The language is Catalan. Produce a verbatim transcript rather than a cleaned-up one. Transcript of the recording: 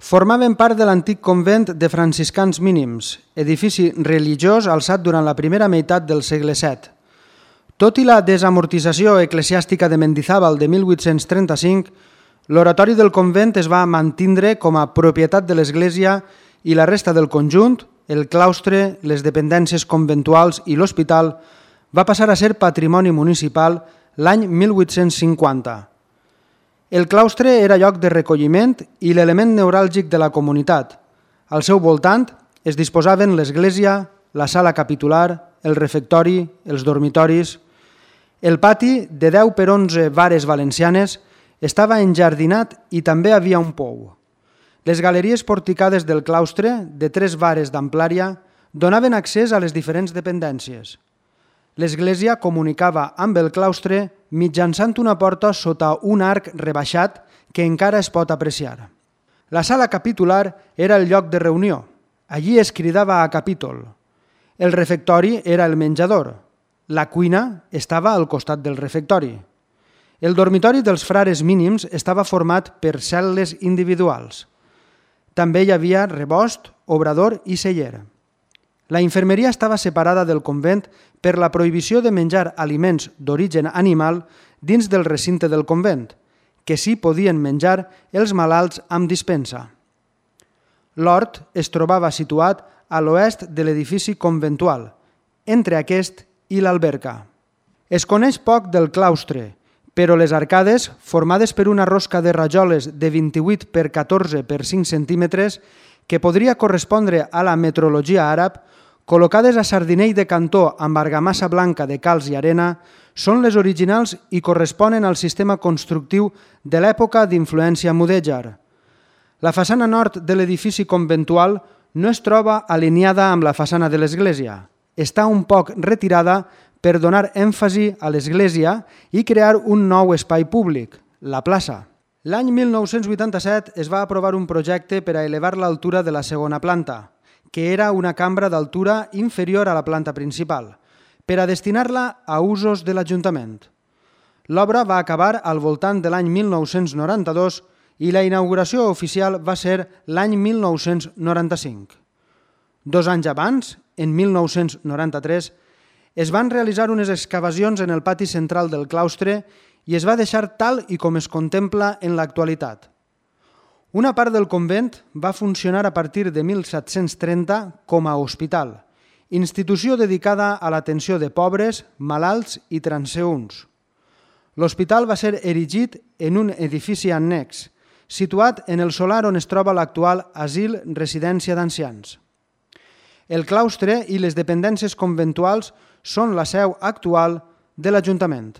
Formaven part de l'antic convent de franciscans mínims, edifici religiós alçat durant la primera meitat del segle set. Tot i la desamortització eclesiàstica de Mendizábal de mil vuit-cents trenta-cinc, l'oratori del convent es va mantindre com a propietat de l'església i la resta del conjunt, el claustre, les dependències conventuals i l'hospital, va passar a ser patrimoni municipal l'any mil vuit-cents cinquanta. El claustre era lloc de recolliment i l'element neuràlgic de la comunitat. Al seu voltant es disposaven l'església, la sala capitular, el refectori, els dormitoris. El pati, de deu per onze vares valencianes, estava enjardinat i també havia un pou. Les galeries porticades del claustre, de tres vares d'amplària, donaven accés a les diferents dependències. L'església comunicava amb el claustre mitjançant una porta sota un arc rebaixat que encara es pot apreciar. La sala capitular era el lloc de reunió. Allí es cridava a capítol. El refectori era el menjador. La cuina estava al costat del refectori. El dormitori dels frares mínims estava format per cel·les individuals. També hi havia rebost, obrador i celler. La infermeria estava separada del convent per la prohibició de menjar aliments d'origen animal dins del recinte del convent, que sí podien menjar els malalts amb dispensa. L'hort es trobava situat a l'oest de l'edifici conventual, entre aquest i l'alberca. Es coneix poc del claustre, però les arcades, formades per una rosca de rajoles de vint-i-vuit per catorze per cinc centímetres, que podria correspondre a la metrologia àrab, col·locades a sardinell de cantó amb argamassa blanca de calç i arena, són les originals i corresponen al sistema constructiu de l'època d'influència mudèjar. La façana nord de l'edifici conventual no es troba alineada amb la façana de l'església. Està un poc retirada per donar èmfasi a l'església i crear un nou espai públic, la plaça. L'any mil nou-cents vuitanta-set es va aprovar un projecte per a elevar l'altura de la segona planta, que era una cambra d'altura inferior a la planta principal, per a destinar-la a usos de l'Ajuntament. L'obra va acabar al voltant de l'any mil nou-cents noranta-dos i la inauguració oficial va ser l'any mil nou-cents noranta-cinc. Dos anys abans, en mil nou-cents noranta-tres, es van realitzar unes excavacions en el pati central del claustre i es va deixar tal i com es contempla en l'actualitat. Una part del convent va funcionar a partir de mil set-cents trenta com a hospital, institució dedicada a l'atenció de pobres, malalts i transeünts. L'hospital va ser erigit en un edifici annex, situat en el solar on es troba l'actual asil residència d'ancians. El claustre i les dependències conventuals són la seu actual de l'Ajuntament.